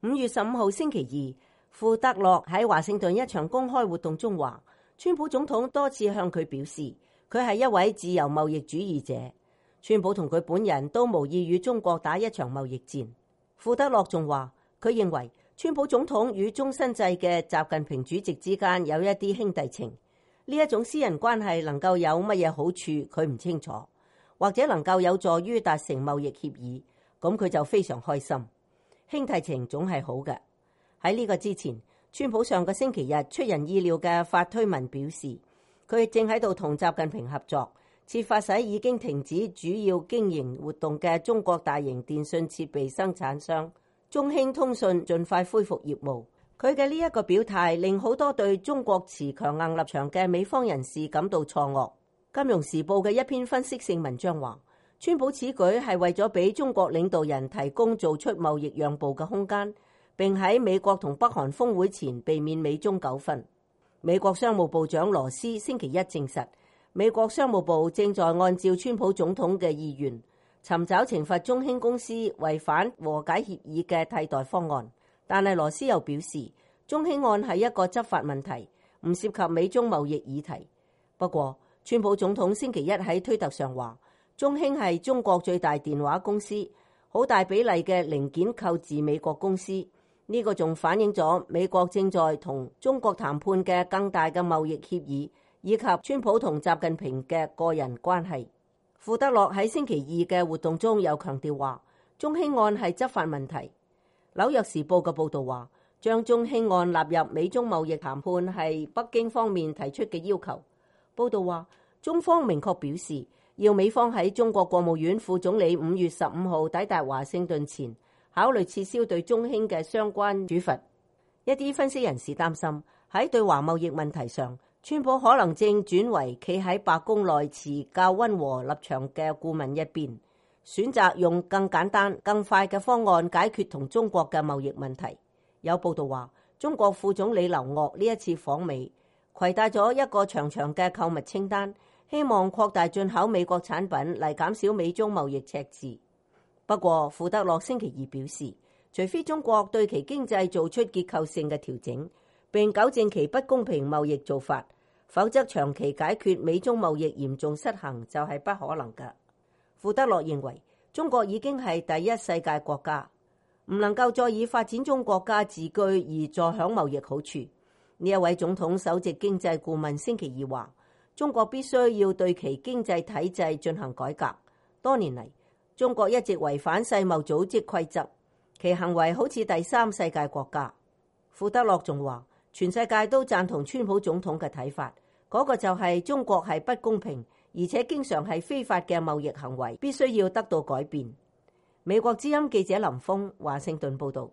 5月15號星期二，傅德樂喺華盛頓一場公開活動中話，川普總統多次向佢表示，佢係一位自由貿易主義者。川普同佢本人都無意與中國打一場貿易戰。傅德樂仲話，佢認為川普總統與終身制嘅習近平主席之間有一啲兄弟情，呢一種私人關係能夠有乜嘢好處，佢唔清楚，或者能夠有助於達成貿易協議，咁佢就非常開心。兄弟情總係好嘅。喺呢個之前，川普上個星期日出人意料嘅發推文表示，佢正喺度同習近平合作，設法使已經停止主要經營活動嘅中國大型電信設備生產商中興通訊盡快恢復業務。佢嘅呢一個表態令好多對中國持強硬立場嘅美方人士感到錯愕。金融時報嘅一篇分析性文章話，川普此舉係為咗俾中國領導人提供做出貿易讓步嘅空間，並喺美國同北韓峰會前避免美中糾紛。美國商務部長羅斯星期一證實，美國商務部正在按照川普總統嘅意願，尋找懲罰中興公司違反和解協議嘅替代方案。但係羅斯又表示，中興案係一個執法問題，唔涉及美中貿易議題。不過，川普總統星期一喺推特上話，中興係中國最大電話公司，好大比例嘅零件購自美國公司。呢個仲反映咗美國正在同中國談判嘅更大嘅貿易協議，以及川普同習近平嘅個人關係。傅德樂喺星期二嘅活動中又強調話，中興案係執法問題。紐約時報嘅報導話，將中興案納入美中貿易談判係北京方面提出嘅要求。報導話，中方明確表示，要美方喺中國國務院副總理5月15號抵達華盛頓前，考慮撤銷對中興嘅相關處罰。一啲分析人士擔心，喺對華貿易問題上，川普可能正轉為企喺白宮內持較溫和立場嘅顧問一邊，選擇用更簡單、更快嘅方案解決同中國嘅貿易問題。有報道話，中國副總理劉鶴呢一次訪美，攜帶咗一個長長嘅購物清單，希望擴大進口美國產品嚟減少美中貿易赤字。不過，傅德樂星期二表示，除非中國對其經濟做出結構性嘅調整，並糾正其不公平貿易做法，否則長期解決美中貿易嚴重失衡就係不可能嘅。傅德樂認為，中國已經係第一世界國家，唔能夠再以發展中國家自居而坐享貿易好處。呢一位總統首席經濟顧問星期二話，中國必須要對其經濟體制進行改革。多年嚟，中國一直違反世貿組織規則，其行為好似第三世界國家。傅德樂仲話，全世界都贊同川普總統嘅睇法，嗰個就係中國係不公平，而且經常係非法嘅貿易行為，必須要得到改變。美國之音記者林峰華盛頓報道。